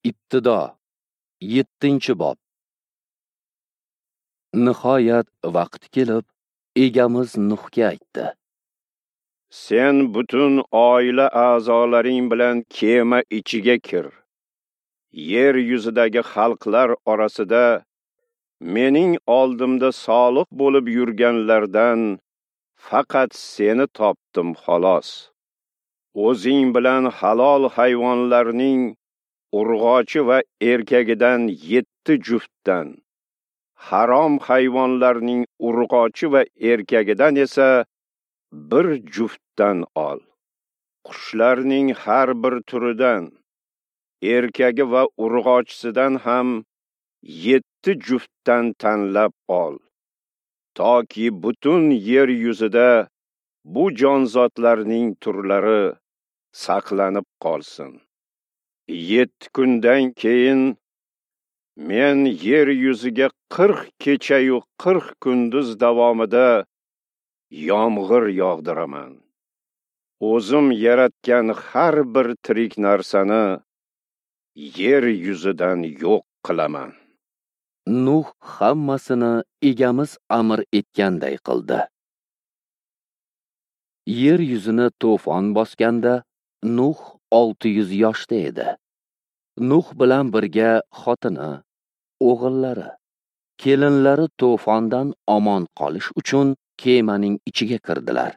Ibtido 7-bob. Nihoyat vaqt kelib, egamiz Nuhga aytdi: Sen butun oila a'zolaring bilan kema ichiga kir. Yer yuzidagi xalqlar orasida mening oldimda solih bo'lib yurganlardan faqat seni topdim xolos. O'zing bilan halol hayvonlarning urg'ochi va erkagidan 7 juftdan, harom hayvonlarning urg'ochi va erkagidan esa 1 juftdan ol. Qushlarning har bir turidan, erkagi va urg'ochisidan ham 7 juftdan tanlab ol. Toki butun yer yuzida bu jonzotlarning turlari saqlanib qolsin. 7 kundan keyin men yer yuziga 40 kecha-yu 40 kunduz davomida yomg'ir yog'diraman. O'zim yaratgan har bir tirik narsani yer yuzidan yo'q qilaman. Nuh hammasini egamiz amr etganday qildi. Yer yuzini to'fon bosganda Nuh 600 yoshda edi. Nuh bilan birga xotini, o'g'illari, kelinlari to'fondan omon qolish uchun kemaning ichiga kirdilar.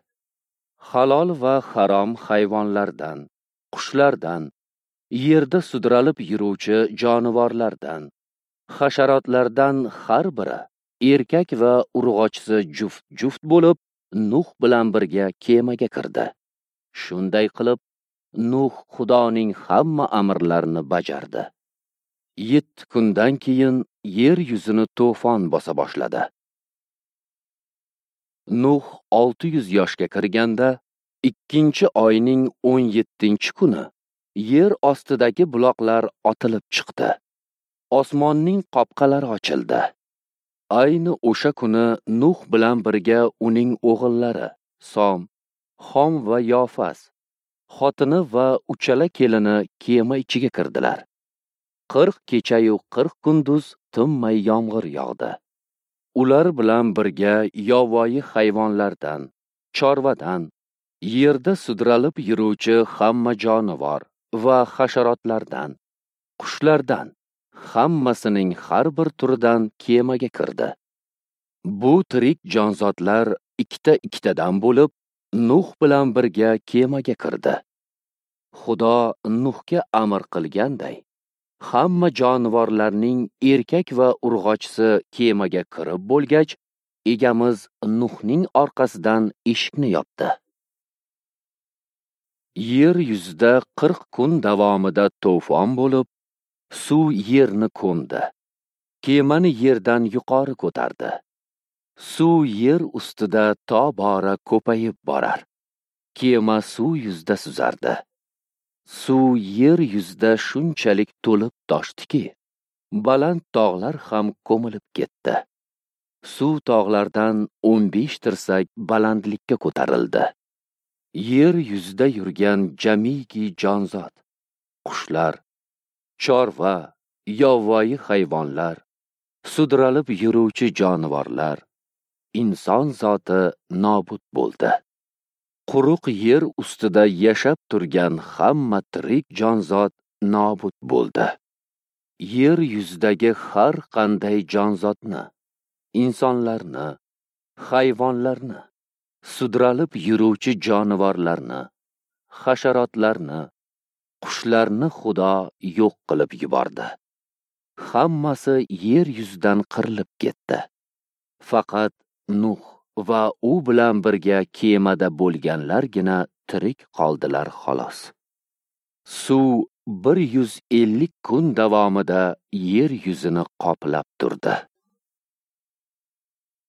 Halol va harom hayvonlardan, qushlardan, yerda sudralib yuruvchi jonivorlardan, hasharotlardan har biri erkak va urg'ochisi juft-juft bo'lib Nuh bilan birga kemaga kirdi. Shunday qilib Nuh Xudoning hamma amrlarini bajardi. 7 kundan keyin yer yuzini to'fon bosa boshladi. Nuh 600 yoshga kirganda, 2-oyning 17-kuni yer ostidagi buloqlar otilib chiqdi. Osmonning qopqalari ochildi. Ayni o'sha kuni Nuh bilan birga uning o'g'illari Som, Xom va Yofas, xotini va uchala kelini kema ichiga kirdilar. 40 kecha-yu 40 kunduz tinmay yomg'ir yog'di. Ular bilan birga yovvoyi hayvonlardan, chorvadan, yerda sudralib yuruvchi hamma jonivor va hasharotlardan, qushlardan, hammasining har bir turidan kemaga kirdi. Bu tirik jonzotlar ikkita-ikkitadan bo'lib Nuh bilan birga kemaga kirdi. Xudo Nuhga amr qilganday, hamma jonivorlarning erkak va urg'ochisi kemaga kirib bo'lgach, egamiz Nuhning orqasidan eshikni yopdi. Yer yuzida 40 kun davomida to'fon bo'lib, suv yerni ko'mdi. Kemani yerdan yuqori ko'tardi. Suv yer ustida tobora ko'payib borar. Kema suv yuzida suzardi. Suv yer yuzida shunchalik to'lib toshdiki, baland tog'lar ham ko'milib ketdi. Suv tog'lardan 15 tirsak balandlikka ko'tarildi. Yer yuzida yurgan jamiki jonzot, qushlar, chorva, yovvoyi hayvonlar, sudralib yuruvchi jonivorlar, inson zoti nobud bo'ldi. Quruq yer ustida yashab turgan hamma tirik jonzot nobud bo'ldi. Yer yuzidagi har qanday jonzotni, insonlarni, hayvonlarni, sudralib yuruvchi jonivorlarni, hasharotlarni, qushlarni Xudo yo'q qilib yubordi. Hammasi yer yuzidan qirilib ketdi. Faqat Nuh va u bilan birga kemada bo'lganlargina tirik qoldilar xolos. Suv 150 kun davomida yer yuzini qoplab turdi.